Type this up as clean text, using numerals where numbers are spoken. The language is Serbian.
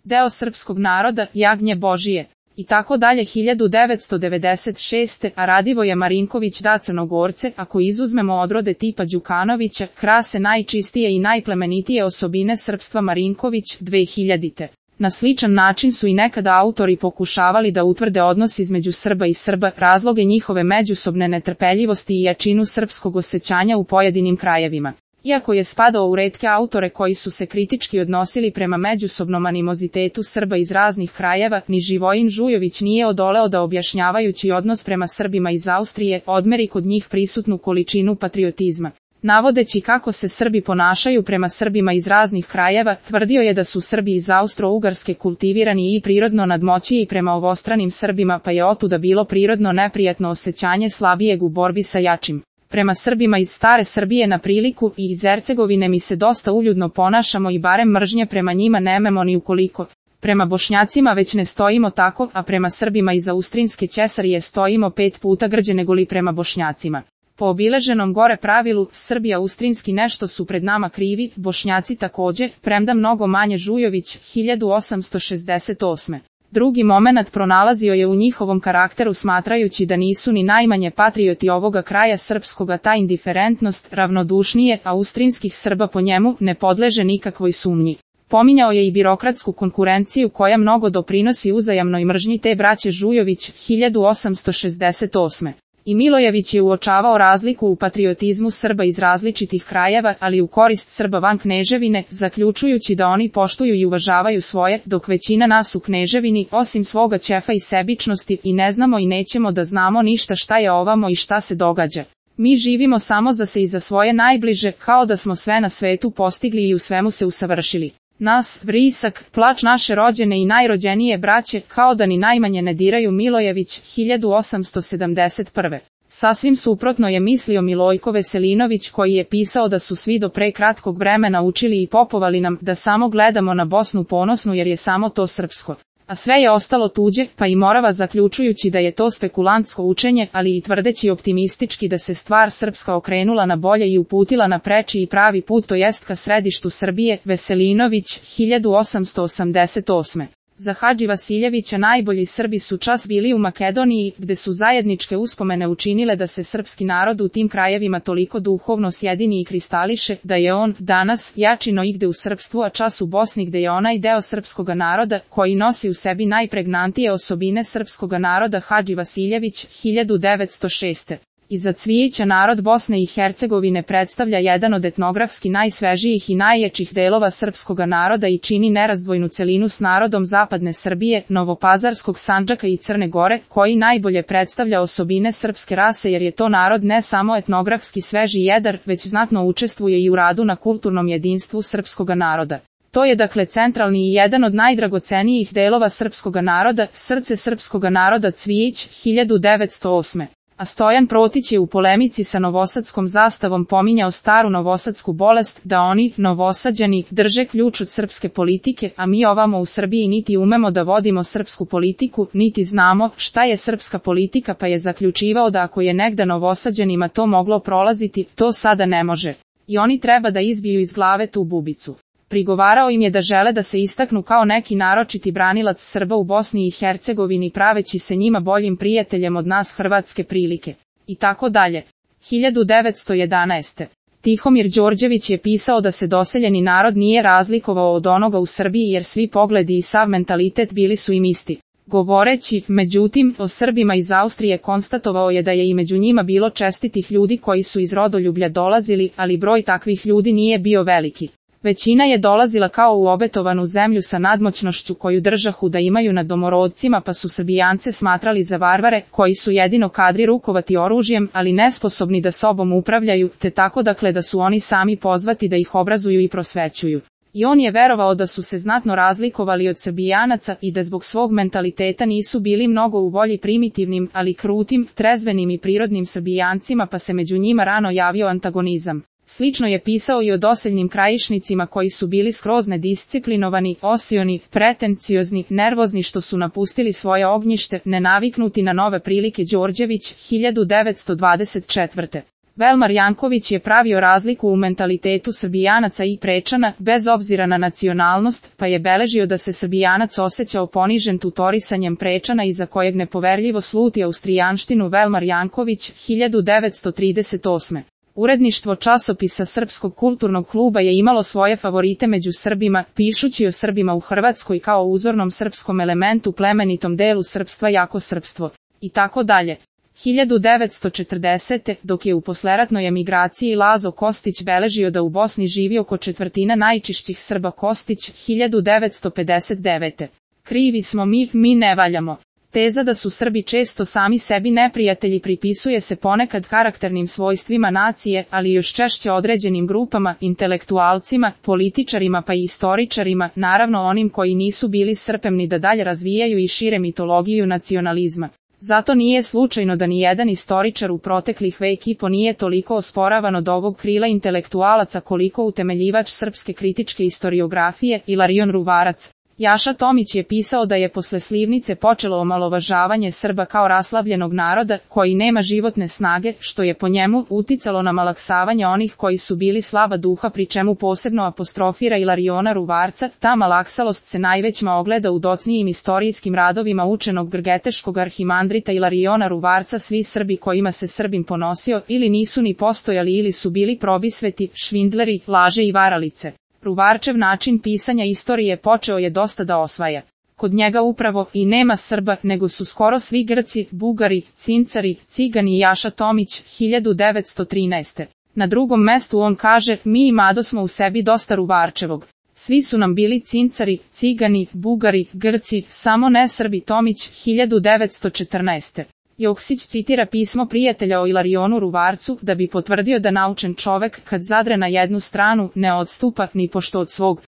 deo srpskog naroda, jagnje Božije. I tako dalje 1996. a Radivoje Marinković da Crnogorce, ako izuzmemo odrode tipa Đukanovića, krase najčistije i najplemenitije osobine srpstva Marinković 2000. Na sličan način su i nekada autori pokušavali da utvrde odnos između Srba i Srba, razloge njihove međusobne netrpeljivosti i jačinu srpskog osjećanja u pojedinim krajevima. Iako je spadao u retke autore koji su se kritički odnosili prema međusobnom animozitetu Srba iz raznih krajeva, ni Živojin Žujović nije odoleo da objašnjavajući odnos prema Srbima iz Austrije, odmeri kod njih prisutnu količinu patriotizma. Navodeći kako se Srbi ponašaju prema Srbima iz raznih krajeva, tvrdio je da su Srbi iz Austro-Ugarske kultivirani i prirodno nadmoćiji prema ovostranim Srbima, pa je otuda bilo prirodno neprijatno osjećanje slabijeg u borbi sa jačim. Prema Srbima iz stare Srbije na priliku i iz Hercegovine mi se dosta uljudno ponašamo i barem mržnje prema njima nemamo ni ukoliko. Prema Bošnjacima već ne stojimo tako, a prema Srbima iz Austrinske Ćesarije stojimo 5 puta grđe negoli prema Bošnjacima. Po obileženom gore pravilu, Srbi austrinski nešto su pred nama krivi, Bošnjaci također, premda mnogo manje. Žujović, 1868. Drugi momenat pronalazio je u njihovom karakteru smatrajući da nisu ni najmanje patrioti ovoga kraja srpskoga, ta indiferentnost, ravnodušnije austrinskih Srba po njemu ne podleže nikakvoj sumnji. Pominjao je i birokratsku konkurenciju koja mnogo doprinosi uzajamnoj mržnji te braće. Žujović, 1868. I Milojević je uočavao razliku u patriotizmu Srba iz različitih krajeva, ali u korist Srba van Kneževine, zaključujući da oni poštuju i uvažavaju svoje, dok većina nas u Kneževini, osim svoga ćefa i sebičnosti, i ne znamo i nećemo da znamo ništa šta je ovamo i šta se događa. Mi živimo samo za se i za svoje najbliže, kao da smo sve na svetu postigli i u svemu se usavršili. Nas, vrisak, plač naše rođene i najrođenije braće, kao da ni najmanje ne diraju. Milojević, 1871. Sasvim suprotno je mislio Milojko Veselinović koji je pisao da su svi do pre kratkog vremena učili i popovali nam da samo gledamo na Bosnu ponosnu jer je samo to srpsko. A sve je ostalo tuđe, pa i Morava, zaključujući da je to spekulantsko učenje, ali i tvrdeći optimistički da se stvar srpska okrenula na bolje i uputila na preči i pravi put, to jest ka središtu Srbije. Veselinović, 1888. Za Hadži Vasiljevića najbolji Srbi su čas bili u Makedoniji, gde su zajedničke uspomene učinile da se srpski narod u tim krajevima toliko duhovno sjedini i kristališe, da je on danas jači no igde u srpstvu, a čas u Bosni gde je onaj deo srpskoga naroda koji nosi u sebi najpregnantije osobine srpskoga naroda. Hadži Vasiljević, 1906. Iza Cvijića narod Bosne i Hercegovine predstavlja jedan od etnografski najsvežijih i najjačih delova srpskoga naroda i čini nerazdvojnu celinu s narodom zapadne Srbije, Novopazarskog Sandžaka i Crne Gore, koji najbolje predstavlja osobine srpske rase jer je to narod ne samo etnografski sveži i jedar, već znatno učestvuje i u radu na kulturnom jedinstvu srpskoga naroda. To je dakle centralni i jedan od najdragocenijih delova srpskoga naroda, srce srpskoga naroda. Cvijić, 1908. A Stojan Protić je u polemici sa novosadskom zastavom pominjao staru novosadsku bolest, da oni, Novosađani, drže ključ od srpske politike, a mi ovamo u Srbiji niti umemo da vodimo srpsku politiku, niti znamo šta je srpska politika, pa je zaključivao da ako je negda Novosađanima to moglo prolaziti, to sada ne može. I oni treba da izbiju iz glave tu bubicu. Prigovarao im je da žele da se istaknu kao neki naročiti branilac Srba u Bosni i Hercegovini praveći se njima boljim prijateljem od nas hrvatske prilike. I tako dalje. 1911. Tihomir Đorđević je pisao da se doseljeni narod nije razlikovao od onoga u Srbiji jer svi pogledi i sav mentalitet bili su im isti. Govoreći, međutim, o Srbima iz Austrije konstatovao je da je i među njima bilo čestitih ljudi koji su iz rodoljublja dolazili, ali broj takvih ljudi nije bio veliki. Većina je dolazila kao u obetovanu zemlju sa nadmoćnošću koju držahu da imaju nad domorodcima, pa su Srbijance smatrali za varvare, koji su jedino kadri rukovati oružjem, ali nesposobni da sobom upravljaju, te tako dakle da su oni sami pozvati da ih obrazuju i prosvećuju. I on je verovao da su se znatno razlikovali od Srbijanaca i da zbog svog mentaliteta nisu bili mnogo u volji primitivnim, ali krutim, trezvenim i prirodnim Srbijancima, pa se među njima rano javio antagonizam. Slično je pisao i o doseljnim krajišnicima koji su bili skroz nedisciplinovani, osioni, pretenciozni, nervozni što su napustili svoje ognjište, nenaviknuti na nove prilike. Đorđević, 1924. Velmar Janković je pravio razliku u mentalitetu Srbijanaca i Prečana, bez obzira na nacionalnost, pa je beležio da se Srbijanac osjećao ponižen tutorisanjem Prečana iza kojeg nepoverljivo sluti austrijanštinu. Velmar Janković, 1938. Uredništvo časopisa Srpskog kulturnog kluba je imalo svoje favorite među Srbima, pišući o Srbima u Hrvatskoj kao uzornom srpskom elementu, plemenitom delu srpstva, jako srpstvo i tako dalje. 1940. dok je u posleratnoj emigraciji Lazo Kostić beležio da u Bosni živi oko četvrtina najčišćih Srba. Kostić, 1959. Krivi smo mi ne valjamo. Teza da su Srbi često sami sebi neprijatelji pripisuje se ponekad karakternim svojstvima nacije, ali još češće određenim grupama, intelektualcima, političarima pa i istoričarima, naravno onim koji nisu bili srpemni da dalje razvijaju i šire mitologiju nacionalizma. Zato nije slučajno da ni jedan istoričar u proteklih vek i po nije toliko osporavan od ovog krila intelektualaca koliko utemeljivač srpske kritičke istoriografije, Ilarion Ruvarac. Jaša Tomić je pisao da je posle Slivnice počelo omalovažavanje Srba kao raslavljenog naroda, koji nema životne snage, što je po njemu uticalo na malaksavanje onih koji su bili slava duha, pri čemu posebno apostrofira Ilariona Ruvarca. Ta malaksalost se najvećma ogleda u docnijim istorijskim radovima učenog grgeteškog arhimandrita Ilariona Ruvarca. Svi Srbi kojima se Srbin ponosio ili nisu ni postojali ili su bili probisveti, švindleri, laže i varalice. Ruvarčev način pisanja istorije počeo je dosta da osvaja. Kod njega upravo i nema Srba, nego su skoro svi Grci, Bugari, Cincari, Cigani i Jaša Tomić, 1913. Na drugom mestu on kaže, mi i Mado smo u sebi dosta Ruvarčevog. Svi su nam bili Cincari, Cigani, Bugari, Grci, samo ne Srbi. Tomić, 1914. Joksić citira pismo prijatelja o Ilarionu Ruvarcu da bi potvrdio da naučen čovek kad zadre na jednu stranu ne odstupa ni pošto od svog